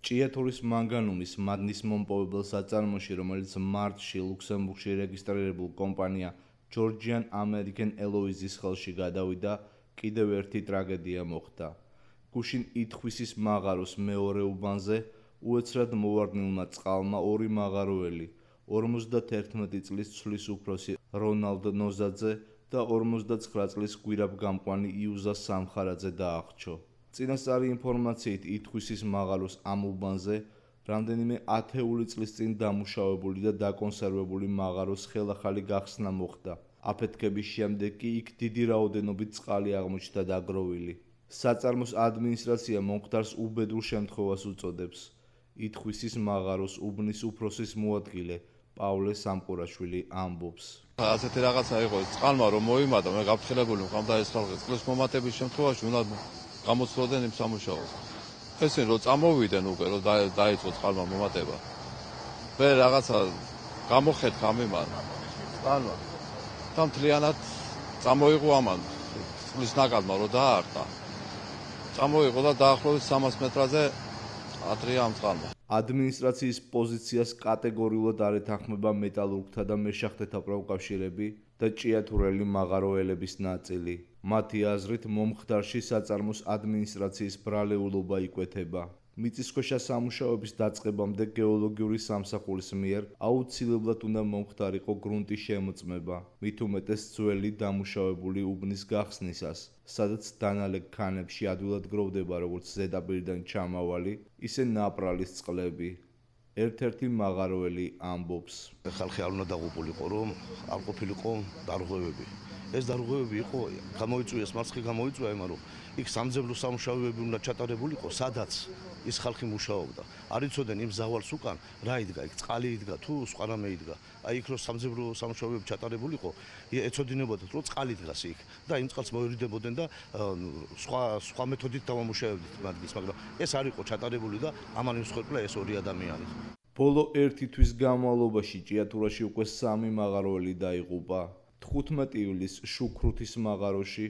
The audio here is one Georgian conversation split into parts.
ჭიათურის მანგანუმის მადნის მომპოვებელ საწარმოში, რომელიც მარტში ლუქსემბურგში რეგისტრირებულ კომპანია Georgian American Airlines-ის ხელში გადავიდა, კიდევ ერთი ტრაგედია მოხდა. გუშინ ითხვისის მაღაროს მეორე უბანზე უეცრად მოვარდნილმა წყალმა ორი მაღაროელი, 51 წლის ცვლის უფროსი რონალდ ნოზაძე და 59 წლის გვირაბგამყვანი იუზა სამხარაძე დაახრჩო. წინასწარი ინფორმაციით ითხვისის მაღაროს ამ უბანზე რამდენიმე ათეული წლის წინ დამუშავებული და დაკონსერვებული მაღაროს ხელახალი გახსნა მოხდა. აფეთქების შემდეგ კი იქ დიდი რაოდენობით წყალი აღმოჩნდა დაგროვილი. საწარმოს ადმინისტრაცია მომხდარს უბედურ შემთხვევას უწოდებს. ითხვისის მაღაროს უბნის უფროსის მოადგილე პავლე სამყურაშვილი ამბობს. ასეთი რაღაცა იყო წყალმა რომ მოიმატა, მე გაფრთხილებული მყავდა ეს ხალხი. წყლის მომატების შემთხვევაში უნდა გამოცდოდნენ იმ სამუშაოს. ესენი რომ წამოვიდნენ უკვე რომ დაიწყო წყალმა მომატება. მე რაღაცა გამოხედა ამიმან წყალმა. და მთლიანად წამოიღო ამან წყლის ნაკადმა რომ დაარტყა. წამოიღო და დაახლოებით 300 მეტრაზე ატრია ამ წყალმა. ადმინისტრაციის პოზიციას კატეგორიულად არ ეთანხმება მეტალურგთა და მეშახტეთა პროფკავშირები და ჭიათურელი მაღაროელების ნაწილი. მათი აზრით მომხდარში საწარმოს ადმინისტრაციის ბრალეულობა იკვეთება. მიწისქვეშა სამუშაოების დაწყებამდე გეოლოგიური სამსახურის მიერ აუცილებლად უნდა მომხდარიყო გრუნტის შემოწმება, მით უმეტეს ძველი დამუშავებული უბნის გახსნისას, სადაც დანალექ ქანებში ადვილად გროვდება როგორც ზედაპირიდან ჩამავალი, ისე ნაპრალის წყლები. ერთ-ერთი მაღაროელი ამბობს. ხალხი არ უნდა დაღუპულიყო, რომ არ ყოფილიყო დარღვევები. ეს დარღვევები იყო, გამოიწვიეს მარცხი გამოიწვია იმან, რომ იქ სამძებლო სამუშაოები უნდა ჩატარებულიყო, სადაც ის ხალხი მუშაობდა. არ იცოდნენ იმ ზავალს უკან რა იდგა, იქ წყალი იდგა თუ სხვა რამე იდგა. აი იქ რომ სამძებლო სამუშაოები ჩატარებულიყო, ეცოდინებოდათ რომ წყალი დგას იქ და იმ წყალს მოერიდებოდნენ და სხვა მეთოდით დავამუშავებდით მათგის, მაგრამ ეს არ იყო ჩატარებული და ამან იმსხვერპლა ეს ორი ადამიანი. ბოლო ერთი თვის განმავლობაში ჭიათურაში უკვე 3 მაღაროელი დაიღუპა. 15 ივლისს შუქრუთის მაღაროში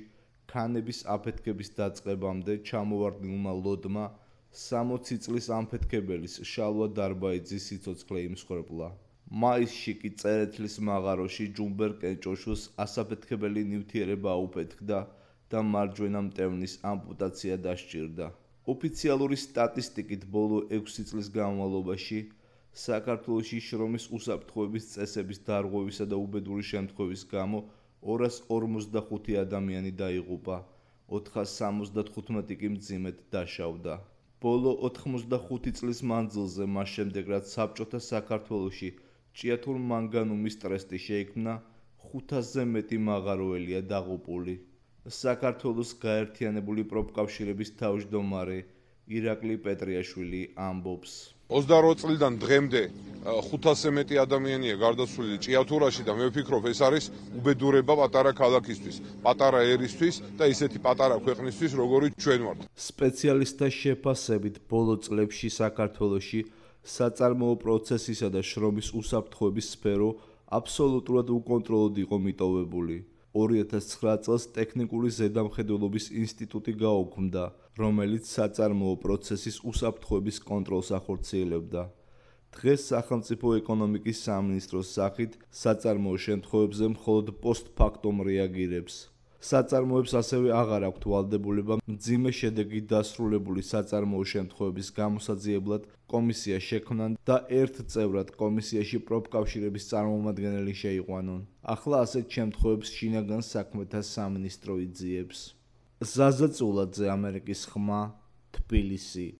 ქანების აფეთქების დაწყებამდე ჩამოვარდნილმა ლოდმა 60 წლის ამფეთქებელის შალვა დარბაიძის სიცოცხლე იმსხვერპლა. მაისში კი წერეთლის მაღაროში ჯუმბერ კენჭოშუს ასაფეთქებელი ნივთიერება აუფეთქდა და მარჯვენა მტევნის ამპუტაცია დასჭირდა. ოფიციალური სტატისტიკით ბოლო 6 წლის განმავლობაში საქართველოში შრომის უსაფრთხოების წესების დარღვევისა და უბედური შემთხვევის გამო 245 ადამიანი დაიღუპა, 475 კი მძიმედ დაშავდა. ბოლო 85 წლის მანძილზე მას შემდეგ რაც საბჭოთა საქართველოში ჭიათურ მანგანუმის ტრესტი შეიქმნა, 500-ზე მეტი მაღაროელია დაღუპული. საქართველოს გაერთიანებული პროფკავშირების თავმჯდომარე ირაკლი პეტრიაშვილი ამბობს. 28 წლიდან დღემდე 500-ზე მეტი ადამიანია გარდაცვლილი ჭიათურაში და მე ვფიქრობ ეს არის უბედურება პატარა ქალაქისთვის, პატარა ერისთვის და ისეთი პატარა ქვეყნისთვის როგორიც ჩვენ ვართ. სპეციალისტთა შეფასებით ბოლო წლებში საქართველოში საწარმოო პროცესისა და შრომის უსაფრთხოების სფერო აბსოლუტურად უკონტროლოდ იყო მიტოვებული. 2009 წელს ტექნიკური ზედამხედველობის ინსტიტუტი გაუქმდა, რომელიც საწარმოო პროცესის უსაფრთხოების კონტროლს ახორციელებდა. დღეს სახელმწიფო ეკონომიკის სამინისტროს სახით საწარმოო შემთხვევებზე მხოლოდ პოსტფაქტუმ რეაგირებს. საწარმოებს ასევე აღარ აქვთ ვალდებულება მძიმე შედეგით დასრულებული საწარმოო შემთხვევების გამოსაძიებლად კომისია შექმნან და ერთ წევრად კომისიაში პროფკავშირების წარმომადგენელი შეიყვანონ. ახლა ასეთ შემთხვევებს შინაგან საქმეთა სამინისტრო იძიებს. ზაზა წულაძე, ამერიკის ხმა, თბილისი.